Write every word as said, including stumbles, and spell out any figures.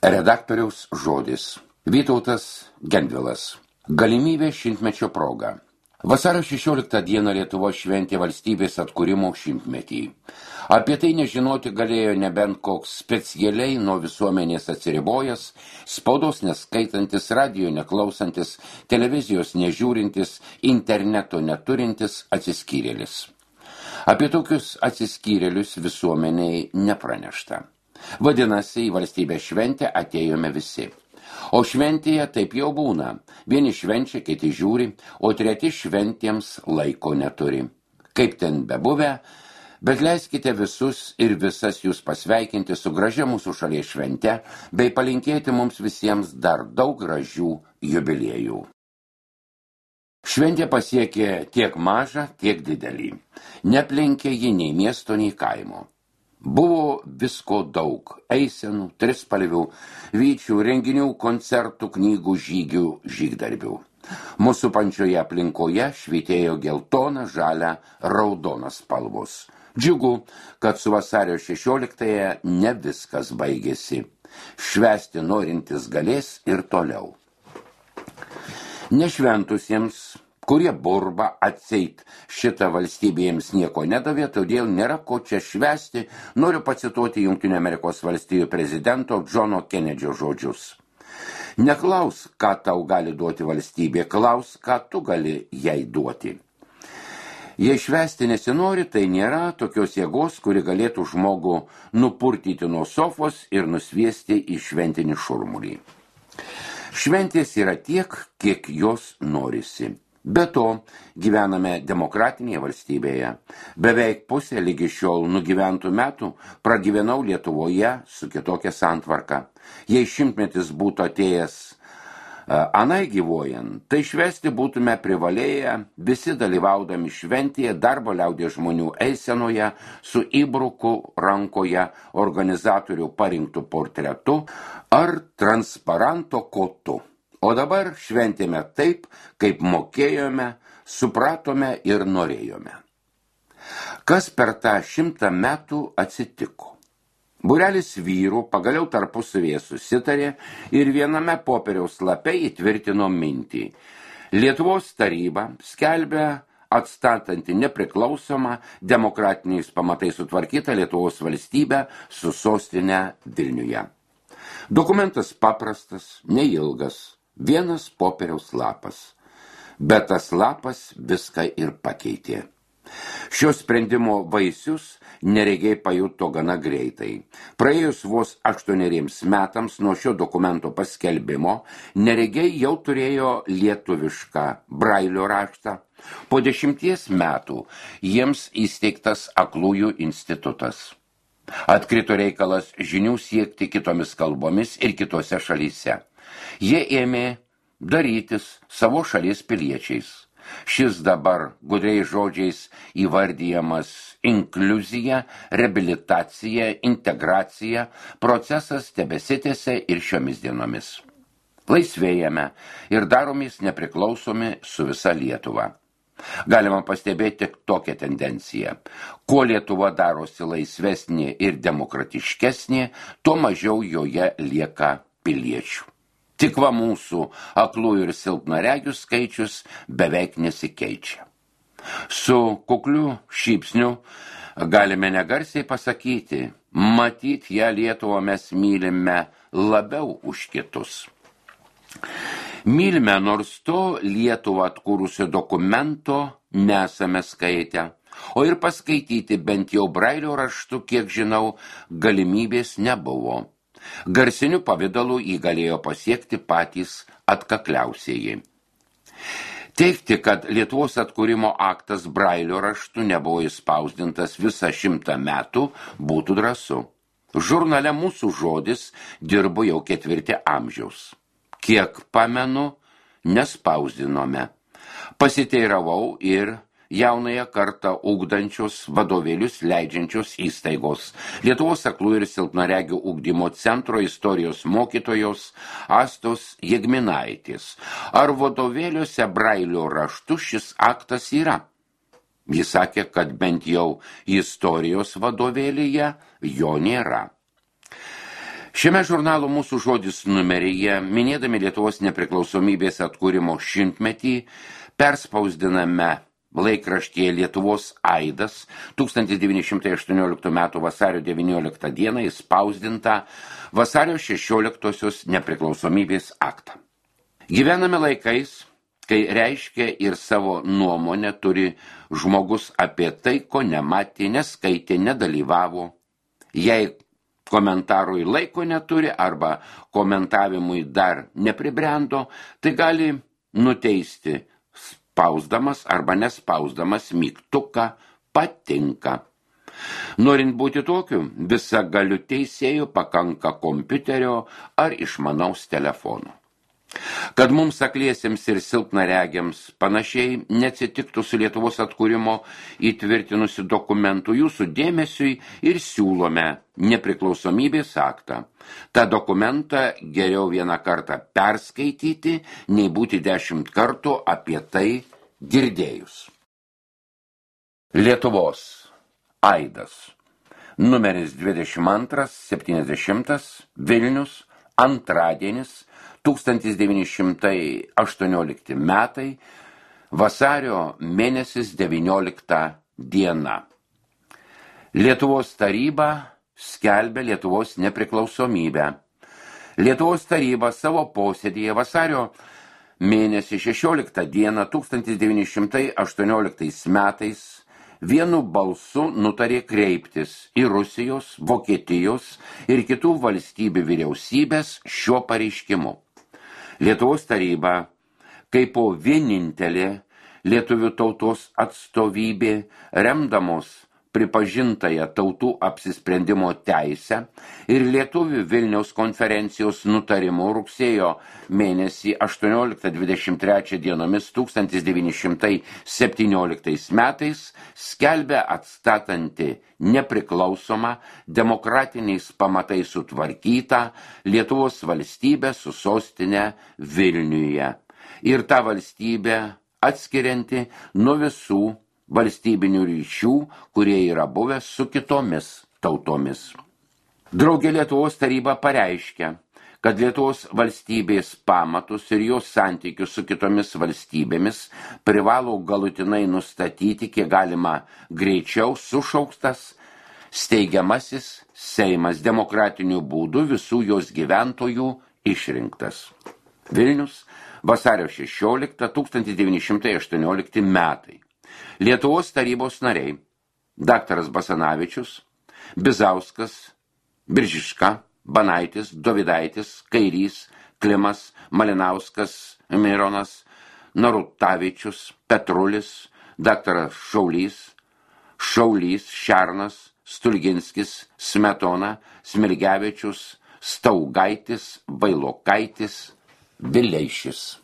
Redaktoriaus žodis. Vytautas Gendvilas. Galimybė šimtmečio proga. Vasario šešioliktą dieną Lietuva šventė valstybės atkūrimo šimtmetį. Apie tai nežinoti galėjo nebent koks specialiai nuo visuomenės atsiribojęs, spaudos neskaitantis, radio neklausantis, televizijos nežiūrintis, interneto neturintis atsiskyrėlis. Apie tokius atsiskyrėlius visuomeniai nepranešta. Vadinasi, į valstybės šventę atėjome visi. O šventėje taip jau būna. Vieni švenčia, kiti žiūri, o treti šventėms laiko neturi. Kaip ten bebuvę, bet leiskite visus ir visas jūs pasveikinti su gražia mūsų šalies švente, bei palinkėti mums visiems dar daug gražių jubiliejų. Šventė pasiekė tiek mažą, tiek didelį. Neplenkė ji nei miesto, nei kaimo. Buvo visko daug – eisenų, trispalvių, vyčių, renginių, koncertų, knygų, žygių, žygdarbių. Mūsų pančioje aplinkoje švytėjo geltona, žalia, raudona spalvos. Džiugu, kad su vasario šešioliktąją ne viskas baigėsi. Švęsti norintis galės ir toliau. Nešventusiems, kurie burba atseit šitą valstybę jiems nieko nedavė, todėl nėra ko čia švęsti, noriu pacituoti Jungtinių Amerikos valstijų prezidento Džono Kenedžio žodžius. Neklaus, ką tau gali duoti valstybė, klaus, ką tu gali jai duoti. Jei švęsti nesinori, tai nėra tokios jėgos, kuri galėtų žmogų nupurtyti nuo sofos ir nusviesti į šventinį šurmulį. Šventės yra tiek, kiek jos norisi. Be to, gyvename demokratinėje valstybėje. Beveik pusė lygi šiol nugyventų metų pragyvenau Lietuvoje su kitokia santvarka. Jei šimtmetis būtų atėjęs anai gyvuojant, tai švęsti būtume privalėję visi dalyvaudami šventėje darbo liaudies žmonių eisenoje su įbruku rankoje organizatorių parinktų portretu ar transparanto kotu. O dabar šventėme taip, kaip mokėjome, supratome ir norėjome. Kas per tą šimtą metų atsitiko? Būrelis vyrų pagaliau tarpusavėje susitarė ir viename popieriaus lape įtvirtino mintį. Lietuvos taryba skelbia atstatanti nepriklausomą, demokratiniais pamatais sutvarkytą Lietuvos valstybę su sostinė Vilniuje. Dokumentas paprastas, neilgas. Vienas popieriaus lapas, bet tas lapas viską ir pakeitė. Šio sprendimo vaisius neregiai pajuto gana greitai. Praėjus vos aštuoneriems metams nuo šio dokumento paskelbimo, neregiai jau turėjo lietuvišką brailio raštą. Po dešimties metų jiems įsteigtas aklųjų institutas. Atkrito reikalas žinių siekti kitomis kalbomis ir kitose šalyse. Jie ėmė darytis savo šalies piliečiais. Šis dabar gudriais žodžiais įvardyjamas inkliuzija, reabilitacija, integracija, procesas tebesitęsia ir šiomis dienomis. Laisvėjame ir daromės nepriklausomi su visa Lietuva. Galima pastebėti tokią tendenciją. Kuo Lietuva darosi laisvesnė ir demokratiškesnė, tuo mažiau joje lieka piliečių. Tik va mūsų aklųjų ir silpnaregių skaičius beveik nesikeičia. Su kukliu šypsniu galime negarsiai pasakyti, matyt, ją Lietuvą mes mylime labiau už kitus. Mylime, nors to Lietuvą atkūrusio dokumento nesame skaitę, o ir paskaityti bent jau brailio raštu, kiek žinau, galimybės nebuvo. Garsiniu pavidalu jį galėjo pasiekti patys atkakliausieji. Teigti, kad Lietuvos atkūrimo aktas brailio raštu nebuvo įspausdintas visą šimtą metų, būtų drąsu. Žurnale Mūsų žodis dirbo jau ketvirtį amžiaus. Kiek pamenu, nespausdinome. Pasiteiravau ir jaunąją kartą ugdančios vadovėlius leidžiančios įstaigos. Lietuvos aklųjų ir silpnaregių ugdymo centro istorijos mokytojos Astos Jegminaitės. Ar vadovėliuose brailio raštu šis aktas yra? Jis sakė, kad bent jau istorijos vadovėlyje jo nėra. Šiame žurnalo Mūsų žodis numeryje, minėdami Lietuvos nepriklausomybės atkūrimo šimtmetį, perspausdiname laikraštyje Lietuvos aidas tūkstantis devyni šimtai aštuonioliktų metų vasario devynioliktą dieną įspausdintą vasario šešioliktosios nepriklausomybės aktą. Gyvename laikais, kai reiškia ir savo nuomonę turi žmogus apie tai, ko nematė, neskaitė, nedalyvavo. Jei komentarui laiko neturi arba komentavimui dar nepribrendo, tai gali nuteisti spausdamas arba nespausdamas mygtuką patinka. Norint būti tokiu, visagaliu teisėju pakanka kompiuterio ar išmanaus telefono. Kad mums akliesiems ir silpnaregiams panašiai neatsitiktų su Lietuvos atkūrimo įtvirtinusiu dokumentu, jūsų dėmesiui ir siūlome nepriklausomybės aktą. Ta dokumentą geriau vieną kartą perskaityti, nei būti dešimt kartų apie tai girdėjus. Lietuvos aidas. Numeris dvidešimt antras septyniasdešimtas Vilnius, antradienis, tūkstantis devyni šimtai aštuoniolikti metai, vasario mėnesis devyniolikta diena. Lietuvos taryba skelbia Lietuvos nepriklausomybę. Lietuvos taryba savo posėdėje vasario mėnesį šešioliktą dieną tūkstantis devyni šimtai aštuonioliktais metais vienu balsu nutarė kreiptis į Rusijos, Vokietijos ir kitų valstybių vyriausybės šiuo pareiškimu. Lietuvos taryba, kaip po vienintelė lietuvių tautos atstovybė, remdamos pripažintąją tautų apsisprendimo teisę ir lietuvių Vilniaus konferencijos nutarimu rugsėjo mėnesį aštuonioliktą dvidešimt trečią dienomis tūkstantis devyni šimtai septynioliktais metais skelbia atstatanti nepriklausomą, demokratiniais pamatais sutvarkytą Lietuvos valstybę su sostinė Vilniuje ir tą valstybę atskirianti nuo visų valstybinių ryšių, kurie yra buvę su kitomis tautomis. Draugė Lietuvos taryba pareiškia, kad Lietuvos valstybės pamatus ir jos santykius su kitomis valstybėmis privalo galutinai nustatyti, kiek galima greičiau sušauktas steigiamasis Seimas demokratiniu būdu visų jos gyventojų išrinktas. Vilnius, vasario šešioliktą tūkstantis devyni šimtai aštuoniolikti metai. Lietuvos tarybos nariai daktaras Basanavičius, Bizauskas, Biržiška, Banaitis, Dovidaitis, Kairys, Klimas, Malinauskas, Mironas, Narutavičius, Petrulis, daktaras Šaulys, Šaulys, Šernas, Stulginskis, Smetona, Smilgevičius, Staugaitis, Vailokaitis, Vileišis.